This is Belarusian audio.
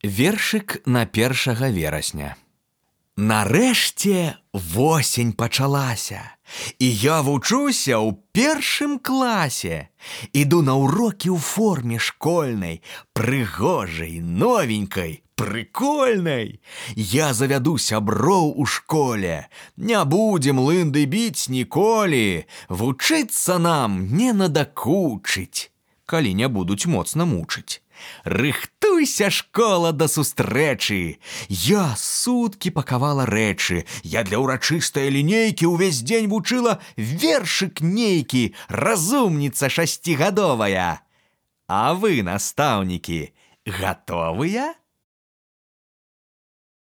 Вершык на 1 верасня. Нарэшце восень пачалася, і я вучуся ў 1 класе. Іду на урокі ў форме школьнай, прыгожай, новенькай, прыкольнай. Я завяду сяброў у школе. Не будзем лынды біць ніколі. Вучыцца нам не надакучыць, калі не будуць моцна мучыць. Рыхтуйся, школа, да сустрэчы. Я суткі пакавала рэчы. Я для ўрачыстае лінейкі ўвесь дзень вучыла вершык нейкі, разумніца 6гадовая. А вы, настаўнікі, гатовыя?